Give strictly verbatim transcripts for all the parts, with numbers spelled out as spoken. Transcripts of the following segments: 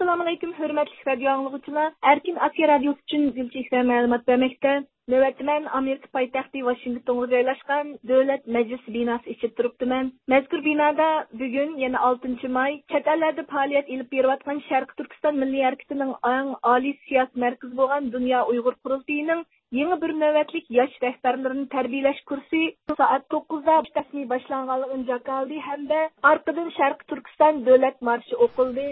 ئەسسالامۇئەلەيكۇم، ھۆرمەتلىك رادىيو ئاڭلىغۇچىلار. ئەركىن ئاسىيا رادىيوسى ئۈچۈن گۈلچېھرە مەلۇمات بەرمەكتە. نۆۋەتتە مەن ئامېرىكا پايتەختى ۋاشىنگتونغا جايلاشقان دۆلەت مەجلىسى بىناسى ئىچىدە تۇرۇپتىمەن. مەزكۇر بىنادا بۈگۈن، يەنى ئالتىنچى ماي، چەت ئەللەردە پائالىيەت ئېلىپ بېرىۋاتقان شەرقىي تۈركىستان مىللىي ھەرىكىتىنىڭ ئەڭ ئالىي سىياسىي مەركىزى بولغان دۇنيا ئۇيغۇر قۇرۇلتىيىنىڭ يېڭى بىر نۆۋەتلىك ياش رەھبەرلىرىنى تەربىيەلەش كۇرسى سائەت توققۇزدا رەسمىي باشلانغانلىقىنى جاكارلىدى ھەمدە ئارقىدىن شەرقىي تۈركىستان دۆلەت مارشى ئوقۇلدى.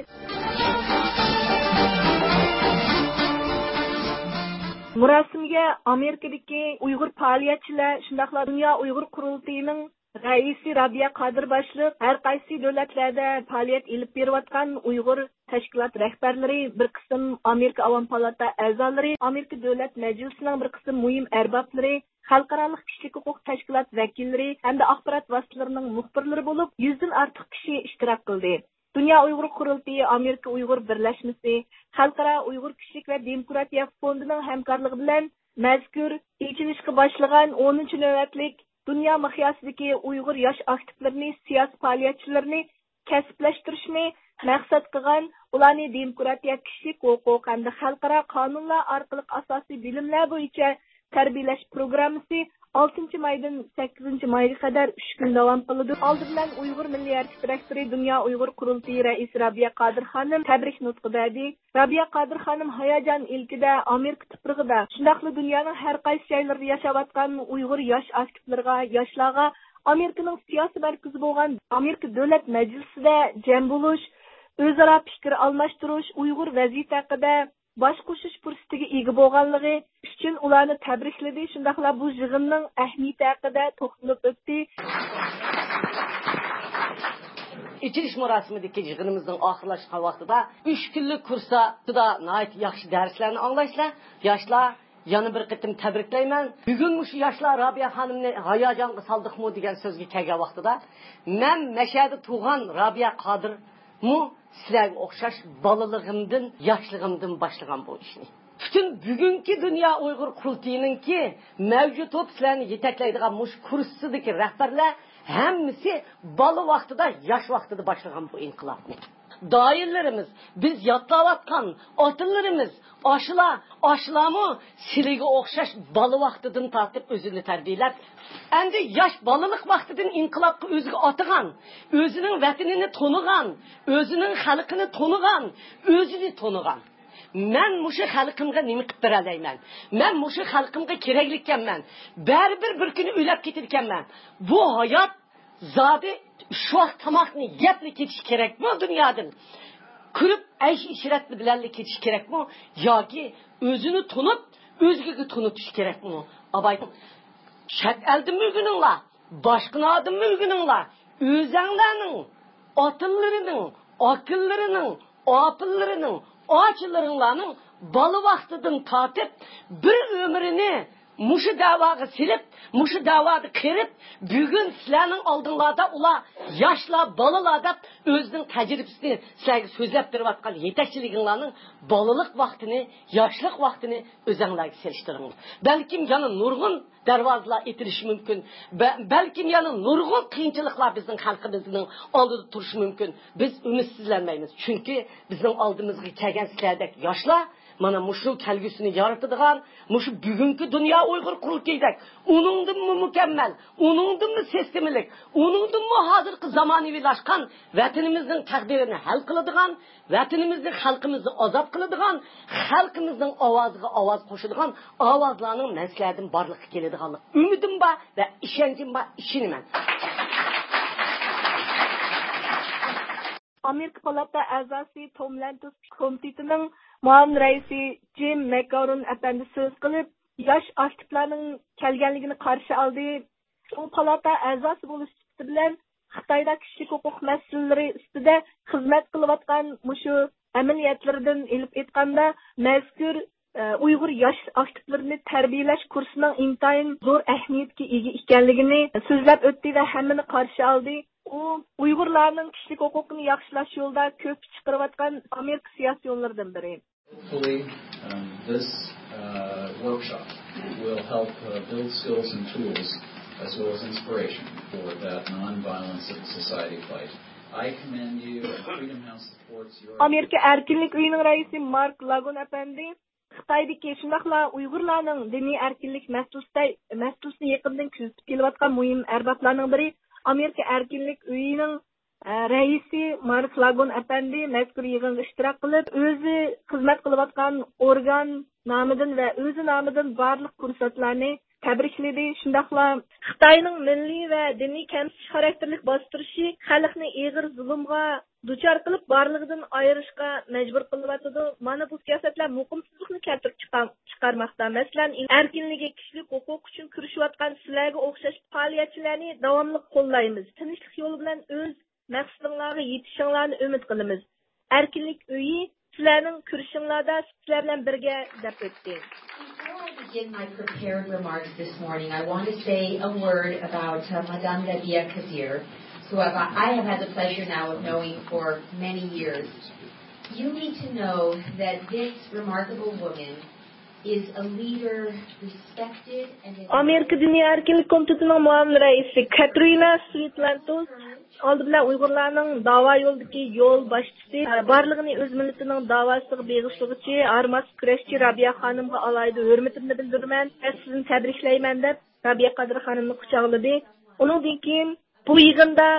مۇراسىمگە ئامېرىكىدىكى ئۇيغۇر پائالىيەتچىلەر، شۇنداقلا دۇنيا ئۇيغۇر قۇرۇلتىيىنىڭ رەئىسى رابىيە قادىر باشلىق، ھەر قايسى دۆلەتلەردە پائالىيەت ئېلىپ بېرىۋاتقان ئۇيغۇر تەشكىلات رەھبەرلىرى، بىر قىسىم ئامېرىكا ئاۋام پالاتا ئەزالىرى، ئامېرىكا دۆلەت مەجلىسىنىڭ بىر قىسىم مۇھىم ئەربابلىرى، خەلقئارالىق كىشىلىك ھوقۇق تەشكىلات ۋەكىللىرى ھەمدە ئاخبارات ۋاسىتىلىرىنىڭ مۇخبىرلىرى بولۇپ، يۈزدىن ئارتۇق كىشى ئىشتىراك قىلدى. دۇنيا ئۇيغۇر قۇرۇلتىيى ئامېرىكا ئۇيغۇر بىرلەشمىسى، خەلقئارا ئۇيغۇر كىشىلىك ۋە دېموكراتىيە فوندىنىڭ ھەمكارلىقى بىلەن مەزكۇر ئېچىلىشقا باشلىغان ئونىنچى نۆۋەتلىك دۇنيا مىقياسىدىكى ئۇيغۇر ياش ئاكتىپلىرىنى، سىياسىي پائالىيەتچىلىرىنى كەسىپلەشتۈرۈشنى مەقسەت قىلغان، ئۇلارنى دېموكراتىيە، كىشىلىك ھوقۇق ھەمدە خەلقئارا قانۇنلار ئارقىلىق ئاساسىي بىلىملەر بويىچە تەربىيەلەش پروگراممىسى ئالتىنچى مايدىن سەككىزىنچى مايغا قەدەر ئۈچ كۈن داۋام قىلىدۇ. ئالدى بىلەن ئۇيغۇر مىللىي ھەرىكىتى رەھبىرى، دۇنيا ئۇيغۇر قۇرۇلتىيى رەئىسى رابىيە قادىر خانىم تەبرىك نۇتقى بەردى. رابىيە قادىر خانىم ھاياجان ئىلكىدە، ئامېرىكا تۇپرىقىدا، شۇنداقلا دۇنيانىڭ ھەر قايسى جايلىرىدا ياشاۋاتقان ئۇيغۇر ياش ئاكتىپلىرىغا، ياشلارغا ئامېرىكىنىڭ سىياسىي مەركىزى بولغان ئامېرىكا دۆلەت مەجلىسىدە جەم بولۇش، ئۆزئارا پىكىر ئالماشتۇرۇش، ئۇيغۇر ۋەزىيىتى ھەققىدە باش قوشۇش پۇرسىتىگە ئىگە بولغانلىقى ئۈچۈن ئۇلارنى تەبرىكلىدى، شۇنداقلا بۇ يىغىننىڭ ئەھمىيىتى ھەققىدە توختىلىپ ئۆتتى. ئېچىلىش مۇراسىمىدىكى يىغىنىمىزنىڭ ئاخىرلاشقان ۋاقتىدا ئۈچ كۈنلۈك كۇرستا ناھايىتى ياخشى دەرسلەرنى ئاڭلايسىلەر. ياشلار، يەنە بىر قېتىم تەبرىكلەيمەن. بۈگۈن مۇشۇ ياشلار رابىيە خانىمنى ھاياجانغا سالدۇقمۇ دېگەن سۆزگە كەلگەن ۋاقتىدا، مەن مەشەدە تۇغان رابىيە قادىرمۇ سىلەرگە ئوخشاش بالىلىقىمدىن، ياشلىقىمدىن باشلىغان بۇ ئىشنى. پۈتۈن بۈگۈنكى دۇنيا ئۇيغۇر قۇرۇلتىيىنىڭكى مەۋجۇت بولۇپ سىلەرنى يېتەكلەيدىغان مۇشۇ كۇرسىدىكى رەھبەرلەر ھەممىسى بالا ۋاقتىدا، ياش ۋاقتىدا باشلىغان بۇ ئىنقىلابنى. دائىرىلىرىمىز، بىز يادلاۋاتقان ئاتىلىرىمىز، ئاشۇلار، ئاشۇلارمۇ سىلىگە ئوخشاش بالا ۋاقتىدىن تارتىپ ئۆزىنى تەربىيەلەپ، ئەمدى ياش بالىلىق ۋاقتىدىن ئىنقىلابقا ئۆزىگە ئاتىغان، ئۆزىنىڭ ۋەتىنىنى تونۇغان، ئۆزىنىڭ خەلقىنى تونۇغان، ئۆزىنى تونۇغان. مەن مۇشۇ خەلقىمگە نېمە قىلىپ بېرەلەيمەن؟ مەن مۇشۇ خەلقىمگە كېرەكلىككەنمەن. بەرىبىر بىر كۈنى ئۆلۈپ كېتىدىكەنمەن. بۇ ھايات زادى ئۈچ ۋاق تاماقنى يەپلا كېتىش كېرەكمۇ دۇنيادىن؟ كۈلۈپ، ئەيش-ئىشرەت بىلەنلا كېتىش كېرەكمۇ؟ ياكى ئۆزىنى تونۇپ، ئۆزگىگە تونۇتۇش كېرەكمۇ؟ ئاباي، چەت ئەلدىنمۇ ئۆگىنىڭلار، باشقىلاردىنمۇ ئۆگىنىڭلار. ئۆزەڭلارنىڭ ئاتىلىرىنىڭ، ئاكىلىرىنىڭ، ئاپىلىرىنىڭ، ئاچىلىرىڭلارنىڭ بالا ۋاقتىدىن تارتىپ بىر ئۆمرىنى مۇشۇ دەۋاغا سېلىپ، مۇشۇ دەۋادا قېرىپ، بۈگۈن سىلەرنىڭ ئالدىڭلاردا ئۇلار ياشلار، بالىلار دەپ ئۆزىنىڭ تەجرىبىسىنى سىلەرگە سۆزلەپ بېرىۋاتقان يېتەكچىلىكىڭلارنىڭ بالىلىق ۋاقتىنى، ياشلىق ۋاقتىنى ئۆزەڭلارگە سېلىشتۇرۇڭلار. بەلكىم يەنە نۇرغۇن دەرۋازىلار ئېتىلىشى مۇمكىن. بە-، بەلكىم يەنە نۇرغۇن قىيىنچىلىقلار بىزنىڭ خەلقىمىزنىڭ ئالدىدا تۇرۇشى مۇمكىن. بىز ئۈمىدسىزلەنمەيمىز. چۈنكى بىزنىڭ ئالدىمىزغا كەلگەن سىلەردەك ياشلار مانا مۇشۇ كەلگۈسىنى يارىتىدىغان، مۇشۇ بۈگۈنكى دۇنيا ئۇيغۇر قۇرۇلتىيىدەك ئۇنىڭدىنمۇ مۇكەممەل، ئۇنىڭدىنمۇ سىستېمىلىق، ئۇنىڭدىنمۇ ھازىرقى زامانىۋىلاشقان ۋەتىنىمىزنىڭ تەقدىرىنى ھەل قىلىدىغان، ۋەتىنىمىزنى، خەلقىمىزنى ئازاد قىلىدىغان، خەلقىمىزنىڭ ئاۋازىغا ئاۋاز قوشىدىغان ئاۋازلارنىڭ مەن سىلەردىن بارلىققا كېلىدىغانلىق ئۈمىدىم بار ۋە ئىشەنچىم بار، ئىشىنىمەن. ئامېرىكا پالاتا ئەزاسى توم لەنتوس كومىتېتىنىڭ مۇئاۋىن رەئىسى جىم مەكگاۋرون ئەپەندى سۆز قىلىپ، ياش ئاكتىپلارنىڭ كەلگەنلىكىنى قارشى ئالدى. ئۇ پالاتا ئەزاسى بولۇش سۈپىتى بىلەن خىتايدا كىشىلىك ھوقۇق مەسىلىلىرى ئۈستىدە خىزمەت قىلىۋاتقان مۇشۇ ئەمەلىيەتلىرىدىن ئېلىپ ئېيتقاندا، مەزكۇر، ئە، ئۇيغۇر ياش ئاكتىپلىرىنى تەربىيەلەش كۇرسىنىڭ ئىنتايىن زور ئەھمىيەتكە ئىگە ئىكەنلىكىنى سۆزلەپ ئۆتتى ۋە ھەممىنى قارشى ئالدى. ئۇ ئۇيغۇرلارنىڭ كىشىلىك ھوقۇقىنى ياخشىلاش يولىدا كۆپ كۈچ چىقىرىۋاتقان ئامېرىكا سىياسىيونلىرىدىن بىرى. Hopefully, um, this uh, workshop will help uh, build skills and tools as well as inspiration for that non-violent civil society fight. I commend you. Freedom House supports your ئامېرىكا ئەركىنلىك ئۆيىنىڭ رەئىسى مارك لاگون ئەپەندى خىتايدىكى، شۇنداقلا ئۇيغۇرلارنىڭ دىنىي ئەركىنلىك مەسىلىسىدە، مەسىلىسىنى يېقىندىن كۆزىتىپ كېلىۋاتقان مۇھىم ئەربابلارنىڭ بىرى، ئامېرىكا ئەركىنلىك ئۆيىنىڭ، ئە، رەئىسى مارك لاگون ئەپەندى مەزكۇر يىغىنغا ئىشتىراك قىلىپ، ئۆزى خىزمەت قىلىۋاتقان ئورگان نامىدىن ۋە ئۆزى نامىدىن بارلىق كۇرسانتلارنى تەبرىكلىدى. شۇنداقلا خىتاينىڭ مىللىي ۋە دىنىي كەمسىتىش خاراكتېرلىك باستۇرۇشى خەلقنى ئېغىر زۇلۇمغا دۇچار قىلىپ، بارلىقىدىن ئايرىشقا مەجبۇر قىلىۋاتىدۇ. مانا بۇ سىياسەتلەر مۇقىمسىزلىقنى كەلتۈرۈپ چىقار-، چىقارماقتا. مەسىلەن، ئەركىنلىكى، كىشىلىك ھوقۇق ئۈچۈن كۈرىشىۋاتقان سىلەرگە ئوخشاش پائالىيەتچىلەرنى داۋاملىق قوللايمىز. تىنچلىق يولى بىلەن ئۆز مەقسىتىڭلارغا يېتىشىڭلارنى ئۈمىد قىلىمىز. ئەركىنلىك ئۆيى سىلەرنىڭ كۈرىشىڭلاردا سىلەر بىلەن بىرگە، دەپ ئۆتتى. Before I begin my prepared remarks this morning, I want to say a word about uh, Madame Rabia Kadir, who I've, I have had the pleasure now of knowing for many years. You need to know that this remarkable woman is a leader respected and ئامېرىكا دىنىي ئەركىنلىك كومىتېتىنىڭ مۇئاۋىن رەئىسى كاترىنا سۋىتلانتوس ئالدى بىلەن ئۇيغۇرلارنىڭ داۋا يولىدىكى يول باشچىسى، بارلىقىنى ئۆز مىللىتىنىڭ داۋاسىغا بېغىشلىغۇچى، ھارماس كۈرەشچى رابىيە خانىمغا ئالاھىدە ھۆرمىتىمنى بىلدۈرىمەن ۋە سىزنى تەبرىكلەيمەن، دەپ رابىيە قادىر خانىمنى قۇچاقلىدى. ئۇنىڭدىن كېيىن بۇ يىغىندا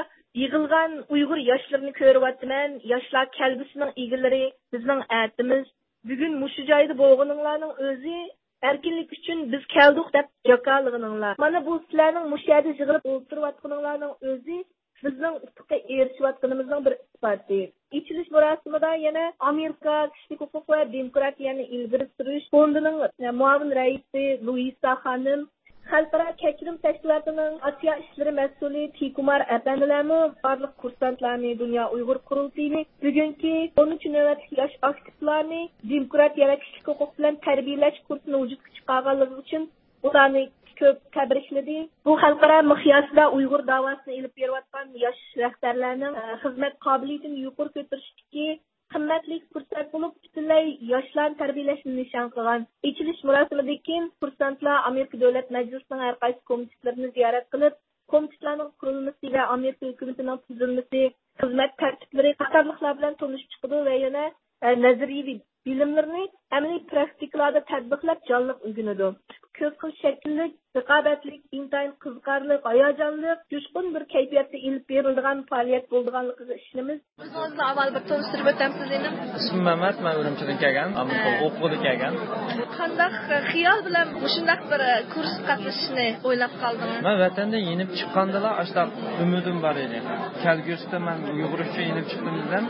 يىغىلغان ئۇيغۇر ياشلىرىنى كۆرۈۋاتىمەن. ياشلار كەلگۈسىنىڭ ئىگىلىرى، بىزنىڭ ئەتىمىز. بۈگۈن مۇشۇ جايدا بولغىنىڭلارنىڭ ئۆزى ئەركىنلىك ئۈچۈن بىز كەلدۇق دەپ جاكارلىغىنىڭلار. مانا بۇ سىلەرنىڭ مۇشۇ يەردە يىغىلىپ ئولتۇرۇۋاتقىنىڭلارنىڭ ئۆزى بىزنىڭ ئۇتۇققا ئېرىشىۋاتقىنىمىزنىڭ بىر ئىسپاتى. ئېچىلىش مۇراسىمىدا يەنە ئامېرىكا كىشىلىك ھوقۇق ۋە دېموكراتىيەنى ئىلگىرى سۈرۈش فوندىنىڭ مۇئاۋىن رەئىسى لۇئىسا خانىم، خەلقئارا كەچۈرۈم تەشكىلاتىنىڭ ئاسىيا ئىشلىرى مەسئۇلى تى كۇمار ئەپەندىلەرمۇ بارلىق كۇرسانتلارنى، دۇنيا ئۇيغۇر قۇرۇلتىيىنى بۈگۈنكى ئونىنچى نۆۋەتلىك ياش ئاكتىپلارنى دېموكراتىيە ۋە كىشىلىك ھوقۇق بىلەن تەربىيەلەش كۇرسىنى ۋۇجۇدقا چىقارغانلىقى ئۈچۈن ئۇلارنى كۆپ تەبرىكلىدى. بۇ خەلقئارا مىقياستا ئۇيغۇر داۋاسىنى ئېلىپ بېرىۋاتقان ياش رەھبەرلەرنىڭ، ئە، خىزمەت قابىلىيىتىنى يۇقىرى كۆتۈرۈشتىكى قىممەتلىك پۇرسەت بولۇپ، پۈتۈنلەي ياشلارنى تەربىيەلەشنى نىشان قىلغان ئېچىلىش مۇراسىمىدىن كېيىن، كۇرسانتلار ئامېرىكا دۆلەت مەجلىسىنىڭ ھەر قايسى كومىتېتلىرىنى زىيارەت قىلىپ، كومىتېتلارنىڭ قۇرۇلمىسى ۋە ئامېرىكا ھۆكۈمىتىنىڭ تۈزۈلمىسى، خىزمەت تەرتىپلىرى قاتارلىقلار بىلەن تونۇشۇپ چىقىدۇ ۋە يەنە، ئە، نەزەرىيىۋى بىلىملىرىنى ئەمەلىي پراكتىكىلاردا تەتبىقلاپ، جانلىق ئۆگىنىدۇ. كۆپ خىل شەكىللىك، رىقابەتلىك، ئىنتايىن قىزىقارلىق، ھاياجانلىق، جۇشقۇن بىر كەيپىياتتا ئېلىپ بېرىلىدىغان پائالىيەت بولىدىغانلىقىغا ئىشىنىمىز. ئۆزىڭىزنى ئاۋۋال بىر تونۇشتۇرۇپ ئۆتەمسىز، ئىنىم؟ ئىسمىم مەمەت، مەن ئۈرۈمچىدىن كەلگەن، ئامېرىكا ھە. ئوقۇغىلى كەلگەن. قانداق خىيال بىلەن مۇشۇنداق بىر كۇرسقا قاتنىشىشنى ئويلاپ قالدىڭىز؟ مەن ۋەتەندىن يېنىپ چىققاندىلا ئاشۇنداق ئۈمىدىم بار ئىدى. كەلگۈسىدە مەن ئۇيغۇر ئۈچۈن يېنىپ چىقتىم دېسەم،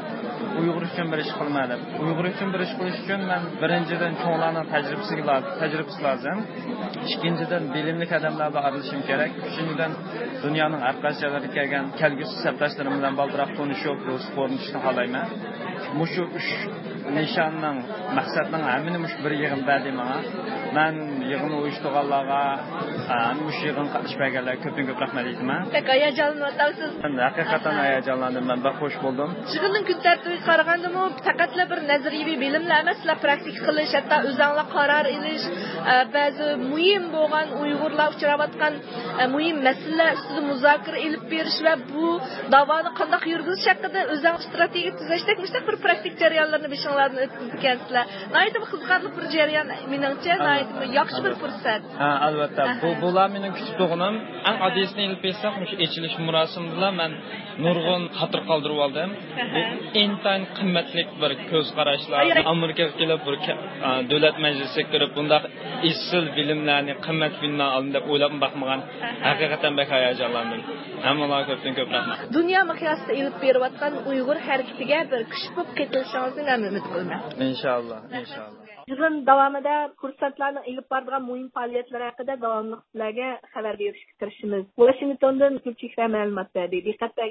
ئۇيغۇر ئۈچۈن بىر ئىش قىلىمەن دەپ. ئۇيغۇر ئۈچۈن بىر ئىش قىلىش ئۈچۈن مەن بىرىنچىدىن چوڭلارنىڭ تەجرىبىسىگە لا-، تەجرىبىسى لازىم. ئىككىنچىدىن بىلىملىك ئادەملەر بىلەن ئارىلىشىشىم كېرەك. ئۈچىنچىدىن دۇنيانىڭ ھەر قايسى جايلىرىدىن كەلگەن كەلگۈسى سەپداشلىرىم بىلەن بالدۇرراق تونۇشۇپ، ۋېلىسىپىت ئورنىتىشنى خالايمەن. مۇشۇ ئۈچ نىشاننىڭ، مەقسەتنىڭ ھەممىنى مۇشۇ بىر يىغىن بەردى ماڭا. مەن يىغىننى ئۇيۇشتۇرغانلارغا، ھە، مۇشۇ يىغىنغا قاتنىشىپ بەرگەنلەرگە كۆپتىن كۆپ رەھمەت ئېيتىمەن. بەك ھاياجانلىنىۋاتامسىز؟ مەن ھەقىقەتەن ھاياجانلاندىم، مەن بەك خۇش بولدۇم. يىغىننىڭ كۈن تەرتىپىگە قارىغاندىمۇ، پەقەتلا بىر نەزەرىيىۋى بىلىملا ئەمەس، سىلەر پراكتىكا قىلىش، ھەتتا ئۆزۈڭلار قارار ئېلىش، ئە، بەزى مۇھىم بولغان ئۇيغۇرلار ئۇچراۋاتقان، ئە، مۇھىم مەسىلىلەر ئۈستىدە مۇزاكىرە ئېلىپ بېرىش ۋە بۇ داۋانى قانداق يۈرگۈزۈش ھەققىدە ئۆزۈڭلار ئىستراتېگىيە تۈزەشتەك مۇشۇنداق بىر پراكتىك جەريانلارنى بېشىڭلاردىن ئۆتكۈزىدىكەنسىلەر. ناھايىتى بىر قىزىقارلىق بىر جەريان، مېنىڭچە، ئەلۋەتتە. ناھايىتى بىر ياخشى بىر ئەلۋەتتە. پۇرسەت. ھە، ئەلۋەتتە. بۇ، ئەھە. بۇلار مېنىڭ كۈتۈپ تۇرغىنىم. ئەڭ ئاددىيسىنى ئېلىپ بەرسەك، مۇشۇ ئېچىلىش مۇراسىمىدىلا مەن نۇرغۇن خاتىرە قالدۇرۇۋالدىم. ئەھە. بۇ ئىنتايىن قىممەتلىك بىر كۆز قاراشلار. ئاي، ئاي. ئامېرىكىغا كېلىپ، بىر كە-، ئا، دۆلەت مەجلىسىگە كىرىپ، بۇنداق ئېسىل بىلىملەرنى، قىممەت بىلىملەرنى ئالدىم دەپ ئويلاپمۇ باقمىغان. ئەھە. ھەقىقەتەن بەك ھاياجانلاندىم. ھەممىڭلارغا كۆپتىن كۆپ رەھمەت. دۇنيا مىقياسىدا ئېلىپ بېرىۋاتقان ئۇيغۇر ھەرىكىتىگە بىر كۈچ بولۇپ قېتىلىشىڭىزنى مەن ئۈمىد قىلىمەن. ئىنشاللا، ئىنشاللا. يىغىن داۋامىدا كۇرسانتلارنىڭ ئېلىپ بارىدىغان مۇھىم پائالىيەتلىرى ھەققىدە داۋاملىق سىلەرگە خەۋەر بېرىشكە تىرىشىمىز. ۋاشىنگتوندىن گۈلچېھرە مەلۇمات بەردى. دىققەت بەرگەن